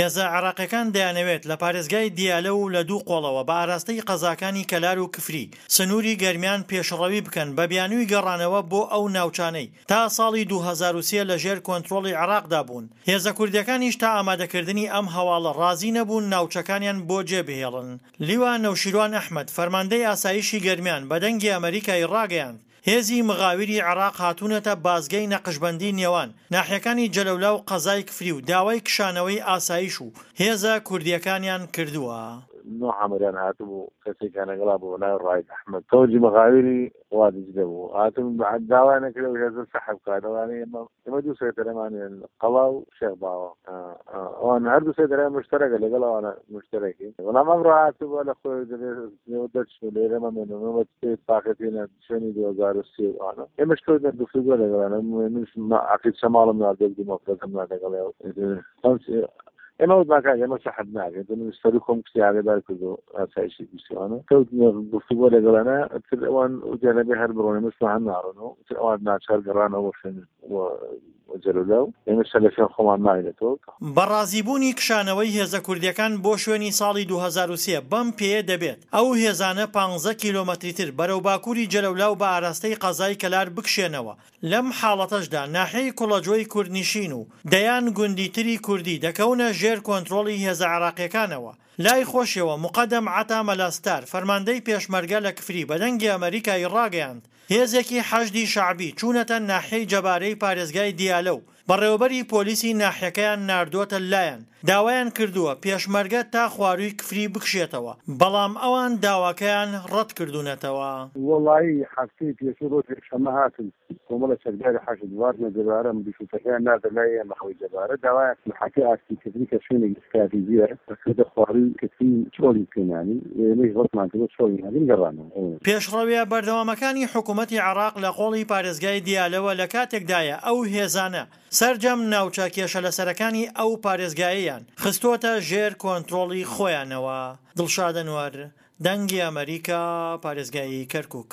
هێزە عێراقیەکان دەیانەوێت لە پارێزگای دیالە و لە دوو قۆڵەوە بە ئاراستەی قەزاکانی کەلار و کفری سنووری گەرمیان پێشڕەوی بکەن بە بیانووی گەڕانەوە بۆ ئەو ناوچانەی تا ساڵی 2003 لە ژێر کۆنترۆڵی عێراقدا بوون. هێزە کوردیەکانیش تا ئامادەکردنی ئەم هەواڵە ڕازی نەبوون ناوچەکانیان بۆ جێ بهێڵن. لیوا نەوشیروان ئەحمەد، فەرماندەی ئاسایشی گەرمیان بە دەنگی ئەمەریکای ڕاگەیاند، هێزی مغاویری عێراق هاتوونەتە بازگەی نەقشبەندی نێوان ناحیەکانی جەلەولا و قەزای کفری و داوای کشانەوەی ئاسایش و هێزە کوردییەکانیان کردووە. نوح عەمریان هاتبوو کەسێکیان لەگەڵا بوو بەناوی ڕائید ئەحمەد فەوجی مغاویری وادیجلە بوو هاتن داوایان نەکرد ئەو هێزە سەحب بکات ئەوانەی ئێمە ئێمە دوو سەیتەرەمان هەیە قەڵا و شێخ باوە ئەوان هەردوو سەیتەرە مشتەرەکە لەگەڵ ئەوانە مشتەرەکین بەڵام ئەمڕۆ هاتبووە لە خۆی دەبێت دەرچن لێرە مەمێنن تاقەتینە شوێنی 2003 ئەوانە ئێمەش کەوتنە گفتوگۆ لەگەڵیان منیش عەقید شەماڵم ناردووە دوو مەفرەزەم نارد لەگەڵی ئێمە وتمان کاک ئێمە سەحب ناکەین تۆ من سەرو خۆم کچی ئاگادار کردو ئاسایشی گشتیوانە کەوتنە گفتوگۆ لەگەڵیانە تر ئەوان وتیان ئەبێ هەر بڕۆن ئێمەش هەر ناڕۆن و تر ئەوان ناچار گەڕانەوە بۆ شوێن جەلولا و ئێمەش هەر لە شوێن خۆمان ماوینەتەوە. بە ڕازیبوونی کشانەوەی هێزە کوردییەکان بۆ شوێنی ساڵی 2003 بەم پێیە دەبێت ئەو هێزانە پانزە کیلۆمەتری تر بەرەو باکووری جەلەولا و بە ئاراستەی قەزای کەلار بکشێنەوە، لەم حاڵەتەشدا ناحیەی کوڵەجۆی کوردنشین و دەیان گوندی تری کوردی دەکەونە ژێر کۆنترۆڵی هێزە عێراقییەکانەوە. لای خۆشیەوە موقەدەم عەتا مەلا ستار، فەرماندەی پێشمەرگە لە کفری بە دەنگی ئەمەریکای ڕاگەیاند، هێزێکی حەشدی شەعبی چوونەتە ناحیەی جەبارەی پارێزگای دیالە و بەڕێوەبەری پۆلیسی ناحیەکەیان ناردووەتە لایان، داوایان کردووە پێشمەرگە تا خوارووی کفری بکشێتەوە، بەڵام ئەوان داواکەیان ڕەتکردوونەتەوە. وەڵایی هەفتەی پێشوو ڕۆژی یەکشەممە هاتن کۆمەڵە چەکداری حەشد واتنە جەبارە ملیشوتەکەیان ناردە لای ئێمە خەڵی جەبارە داوایان محاکەی ئاستی کفری کە شوێنێکی ستراتیجیە کردە خوارووی کفری چۆڵی بکەین یانی ئێمەیش ڕەتمان کردەوە چۆڵی ناکەین گەڕانەوە. پێشڕەویە بەردەوامەکانی حکومەتی عێراق لە قۆڵی پارێزگای دیالەوە لە کاتێکدایە ئەو هێزانە سەرجەم ناوچە کێشەلەسەرەکانی ئەو پارێزگایەیان خستۆتە ژێر کۆنترۆڵی خۆیانەوە. دڵشاد ئەنوەر، دەنگی ئەمەریکا، پارێزگای کەرکوک.